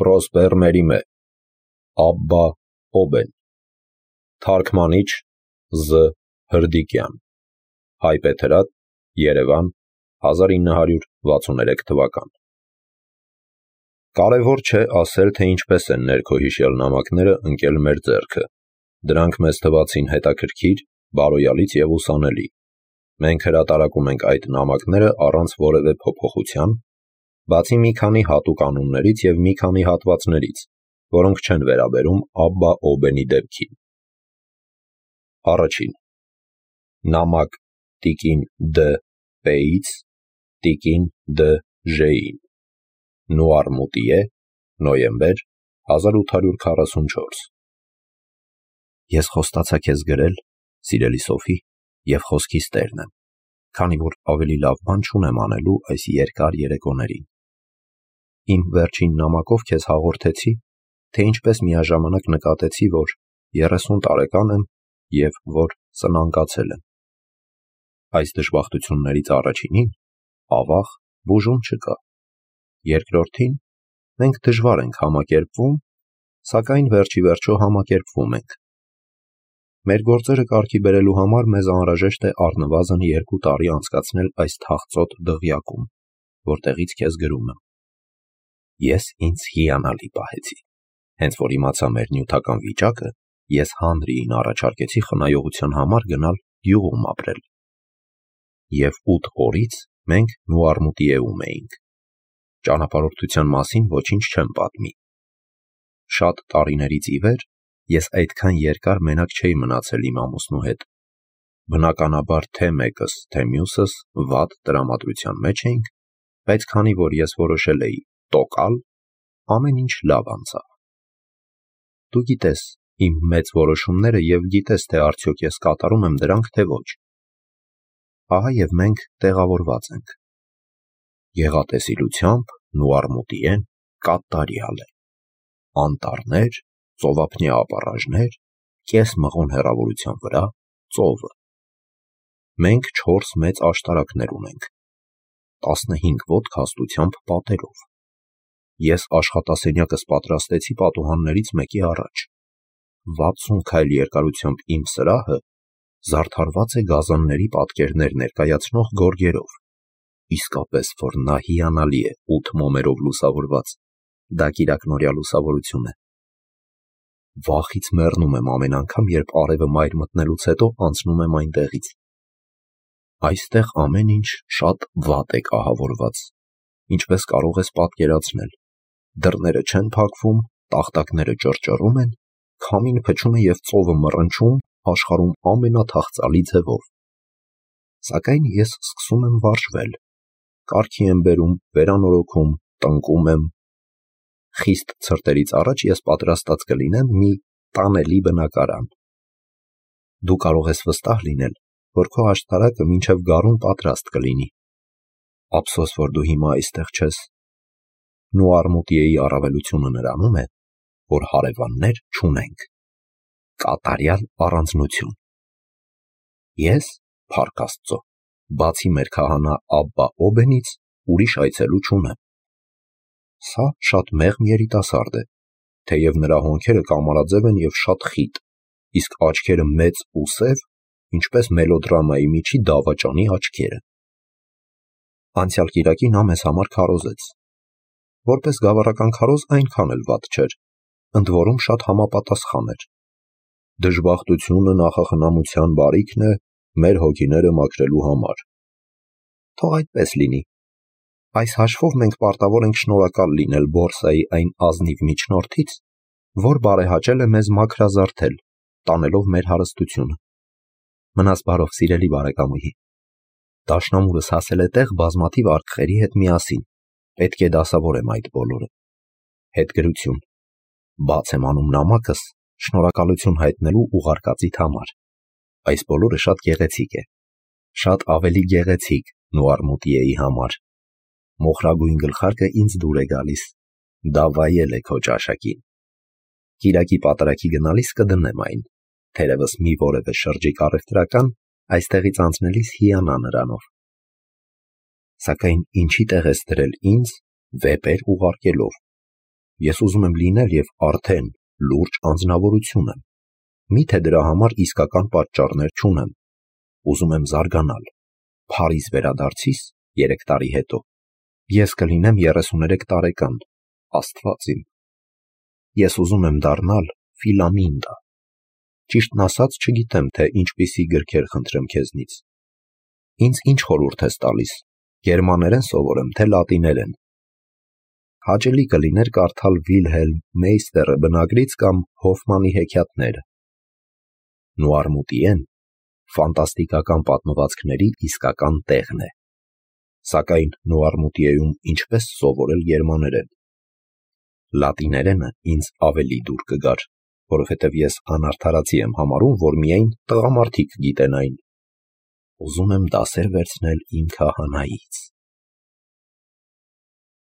Պրոսպեր Մերիմե, Աբբա Օբեն, Թարգմանիչ Զ. Հրդիկյան, Հայբեթրատ, Երևան, 1963 թվական։ Կարևոր չէ ասել, թե ինչպես են ներքոհիշյալ նամակները ընկել մեր ձեռքը։ Դրանք մեզ թվացին հետաքրքիր, բարոյալից և ուսանելի։ Մենք հրատարակում ենք այդ նամակները առանց որևէ փոփոխության, բացի մի քանի հատուկ անուններից և մի քանի հատվածներից, որոնք չեն վերաբերում Աբբա Օբենի դեպքին։ Առաջին. Նամակ տիկին Դ. П-ից տիկին Դ. Ժ-ին, Նուարմուտիե, նոյեմբեր 1844։ Ես խոստացա քեզ գրել, սիրելի Սոֆի, և խոսքիս տերն եմ, քանի որ ավելի լավ բան չունեմ անելու այս երկար երեկոներին։ Իմ վերջին նամակով քեզ հաղորդեցի, թե ինչպես միաժամանակ նկատեցի, որ 30 տարեկան եմ և որ սնանկացել եմ։ Այս դժբախտություններից առաջինին, ավաղ, բուժում չկա։ Երկրորդին, մենք դժվար ենք համակերպվում, սակայն վերջի վերջո համակերպվում ենք։ Մեր գործերը կարգի բերելու համար մեզ անհրաժեշտ է առնվազն 2 տարի անցկացնել այս թախծոտ դղյակում, որտեղից քեզ գրում եմ։ Ես ինձ հիանալի պահեցի։ Հենց որ իմացա մեր նյութական վիճակը, ես Հանրիին առաջարկեցի խնայողության համար գնալ գյուղում ապրել։ Եվ 8 օրից մենք Նուարմուտիեում էինք։ Ճանապարհորդության մասին ոչինչ չեմ պատմի։ Շատ տարիներից ի վեր ես այդքան երկար մենակ չէի մնացել իմ ամուսնու հետ։ Բնականաբար թե մեկս, թե մյուսս վատ տրամադրության մեջ էինք, բայց քանի որ ես որոշել էի տոկալ, ամեն ինչ լավ անցավ։ Դու գիտես իմ մեծ որոշումները և գիտես, թե արդյոք ես կատարում եմ դրանք, թե ոչ։ Ահա և մենք տեղավորված ենք։ Գեղատեսիլությամբ Նուարմուտիեն կատարյալ է։ Անտառներ, ծովափնյա ապառաժներ, կես մղոն հեռավորության վրա ծովը։ Մենք 4 մեծ աշտարակներ ունենք, 15 ոտք հաստությամբ պատերով։ Ես աշխատասենյակս պատրաստեցի պատուհաններից մեկի առաջ։ 60 քայլ երկարությամբ իմ սրահը զարդարված է գազանների պատկերներ ներկայացնող գորգերով։ Իսկապես որ նա հիանալի է 8 մոմերով լուսավորված, դա կիրակնօրյա լուսավորություն է։ Վախից մեռնում եմ ամեն անգամ, երբ արևը մայր մտնելուց հետո անցնում եմ այնտեղից։ Այստեղ ամեն ինչ շատ վատ է կահավորված, ինչպես կարող ես պատկերացնել։ Դռները չեն փակվում, տախտակները ճռճռում են, քամին փչում է և ծովը մռնչում աշխարհում ամենաթախծալի ձևով։ Սակայն ես սկսում եմ վարժվել, կարգի եմ բերում, վերանորոգում, տնկում եմ։ Խիստ ցրտերից առաջ ես պատրաստած կլինեմ մի տանելի բնակարան։ Դու կարող ես վստահ լինել, որ քո աշտարակը մինչև գարուն պատրաստ կլինի։ Ափսոս, որ դու հիմա այստեղ չես։ Նուարմուտիեի առավելությունը նրանում է, որ հարևաններ չունենք։ Կատարյալ առանձնություն։ Ես, փառք Աստծո, բացի մեր քահանա Աբբա Օբենից, ուրիշ այցելու չունեմ։ Սա շատ մեղմ երիտասարդ է, թեև նրա հոնքերը կամարաձև են և շատ խիտ, իսկ աչքերը մեծ ու սև, ինչպես մելոդրամայի միջի դավաճանի աչքերը։ Անցյալ կիրակի նա մեզ համար քարոզեց։ Որպես գավառական քարոզ այնքան էլ վատ չէր, ընդ որում շատ համապատասխան էր։ Դժբախտությունը նախախնամության բարիքն է մեր հոգիները մաքրելու համար։ Թող այդպես լինի։ Այս հաշվով մենք պարտավոր ենք շնորհակալ լինել բորսայի այն ազնիվ միջնորդից, որ բարեհաճել է մեզ մաքրազարդել, տանելով մեր հարստությունը։ Մնաս բարով, սիրելի բարեկամուհի։ Դաշնամուրս հասել է տեղ բազմաթիվ արկղերի հետ միասին, պետք է դասավորեմ այդ բոլորը։ Հետգրություն։ Բաց եմ անում նամակս շնորհակալություն հայտնելու ուղարկածիդ համար։ Այս բոլորը շատ գեղեցիկ է։ Շատ ավելի գեղեցիկ Նուարմուտիեի համար։ Մոխրագույն գլխարկը ինձ դուր է գալիս։ Դա վայել է քո ճաշակին։ Կիրակի պատարագի գնալիս կդնեմ այն, թերևս մի որևէ շրջիկ առևտրական այստեղից անցնելիս հիանա նրանով։ Սակայն ինչի տեղ ես դրել ինձ վեպեր ուղարկելով։ Ես ուզում եմ լինել և արդեն լուրջ անձնավորություն եմ։ Միթե դրա համար իսկական պատճառներ չունեմ։ Ուզում եմ զարգանալ։ Փարիզ վերադարձիս 3 տարի հետո ես կլինեմ 33 տարեկան, Աստված իմ։ Ես ուզում եմ դառնալ Ֆիլամինդա։ Ճիշտն ասած, չգիտեմ, թե ինչպիսի գրքեր խնդրեմ քեզնից։ Ինձ ինչ խորհուրդ ես տալիս, գերմաներեն սովորեմ, թե լատիներեն։ Հաճելի կլիներ կարդալ Վիլհելմ Մեյստերը բնագրից կամ Հոֆմանի հեքիաթները։ Նուարմուտիեն ֆանտաստիկական պատմվածքների իսկական տեղն է։ Սակայն Նուարմուտիեում ինչպես սովորել գերմաներեն։ Լատիներենը ինձ ավելի դուր կգար, որովհետև ես անարդարացի եմ համարում, որ միայն տղամարդիկ գիտեն այն։ Ուզում եմ դասեր վերցնել իմ քահանայից։